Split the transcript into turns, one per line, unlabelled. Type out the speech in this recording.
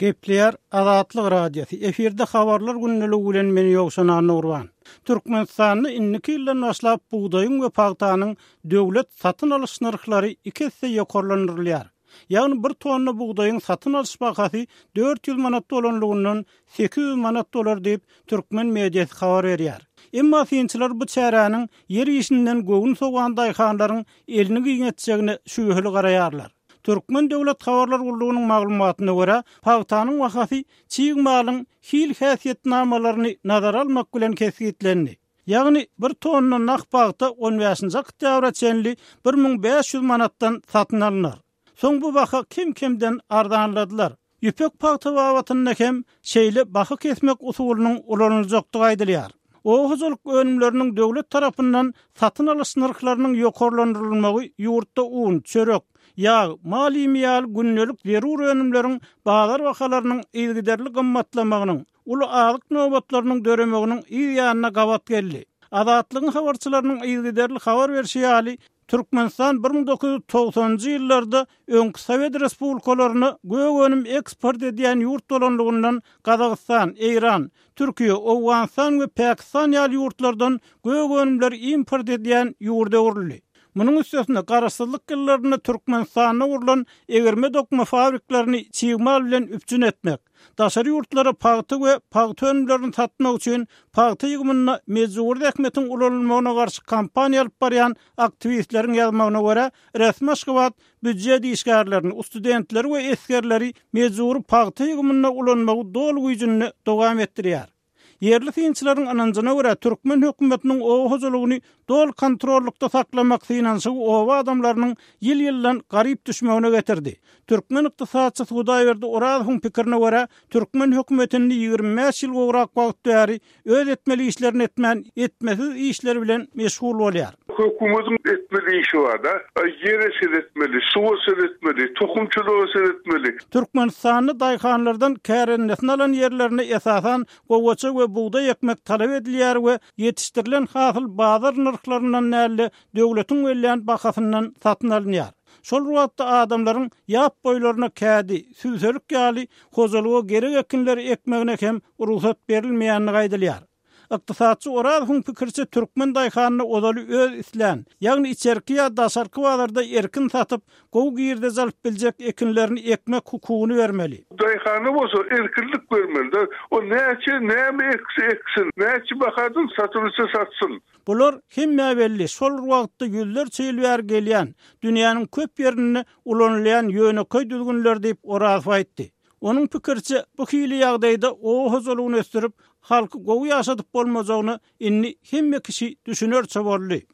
Gepleýär Azatlyk Radiosy, efirde Habarlar gündeligi bilen men Ýowşan Annagurban. Türkmenistanda indiki ýyldan başlap bugdaýyň we pagtanyň döwlet satyn alyş nyrhlary iki esse ýokarlandyrylýar. Ýagny bir tonna bugdaýyň satyn alyş bahasy 400 manat bolanlygyndan 800 manat bolar diýip, türkmen mediasy habar berýär. Emma synçylar bu çäräniň ýer işinden göwün sowan daýhanlaryň elini giňeltjegine şübheli garaýarlar. Türkmen döwlet habarlar gullugynyň maglumatyna görä, pagtanyň bahasy çig malyň hil häsiýetnamalaryny nazara almak bilen kesgitlendi. Ýagny bir tonna nah pagta on bäşinji oktýabra çenli 1500 manatdan satyn alnar. Soň bu baha kem-kemden arzanladylar. Ýüpek pagta babatynda hem şeýle baha kesmek usulynyň ulanyljakdygy aýdylýar. Oba hojalyk önümleriniň döwlet tarapyndan satyn alyş nyrhlarynyň ýokarlandyrylmagy ýurtda un, çörek, ýag, mal iými ýaly gündelik zerur önümleriň bazar bahalarynyň yzygiderli gymmatlamagynyň, uly azyk nobatlarynyň döremeginiň yz ýanyna gabat geldi. Azatlygyň habarçylarynyň yzygiderli habar berşi ýaly, Türkmenistan 1990-njy ýyllarda öňki sowet respublikalaryna gök önüm eksport edýän ýurt bolanlygyndan Gazagystan, Eýran, Türkiýe, Owganystan we Pakistan ýaly ýurtlardan gök önümleri import edýän ýurda öwrüldi. Munuň üstesine, garaşsyzlyk ýyllarynda Türkmenistanda gurlan egirme-dokma fabriklerini çig mal bilen üpjün etmek, Daşary ýurtlara pagta we pagta önümlerini satmak üçin pagta ýygymynda mejbury zähmetiň ulanylmagyna garşy kampaniýa alyp barýan aktiwistleriň ýazmagyna görä, resmi Aşgabat býujet işgärlerini, studentleri we esgerleri mejbury pagta ýygymynda ulanmagy doly güýjünde dowam etdirýär. Ýerli synçylaryň ynanjyna görä, türkmen hökümetiniň oba hojalygyny doly kontrollykda saklamak synanyşygy oba adamlarynyň ýyl-ýyldan garyp düşmegine getirdi. Türkmen ykdysatçysy Hudaýberdi Orazowyň pikirine görä, türkmen hökümeti indi 25 ýyl gowrak wagt bäri öz etmeli işlerini etmän, etmesiz işler bilen meşgul bolýar.
Hökümetiň etmeli işi bar-da. Ýere seretmeli, suwa seretmeli, tohumçylyga seretmeli.
Türkmenistanda daýhanlardan kärendesine alan ýerlerine esasan gowaça we bugdaý ekmek talap edilýär we ýetişdirilen hasyl bazar nyrhlaryndan däl-de, döwletiň bellän bahasyndan satyn alynýar. Şol bir wagtda adamlaryň ýap boýlaryna kädi, sübselik ýaly hojalyga gerek ekinleri ekmegine hem rugsat berilmeýändigi aýdylýar. Ykdysatçy Orazowyň pikiriçe türkmen daýhanyna ozaly öz islän, ýagny içerki ýa daşarky bazarda erkin satyp, gowy girdeji alyp biljek ekinlerini ekmek hukugyny bermeli.
Daýhana bolsa erkinlik bermeli-de, o näçe, näme ekse eksin, näçe bahadan satylsa satsyn.
Bular hemmä belli, şol bir wagtda ýüzlerçe ýyl bäri gelýän, dünýäniň köp ýerinde ulanylýan ýönekeý düzgünler diýip, Orazow aýtdy. Onuň pikiriçe, bu hili ýagdaýda oba hojalygyny ösdürip, halky gowy ýaşadyp bolmajagyna indi hemme kişi düşünerçe boldy.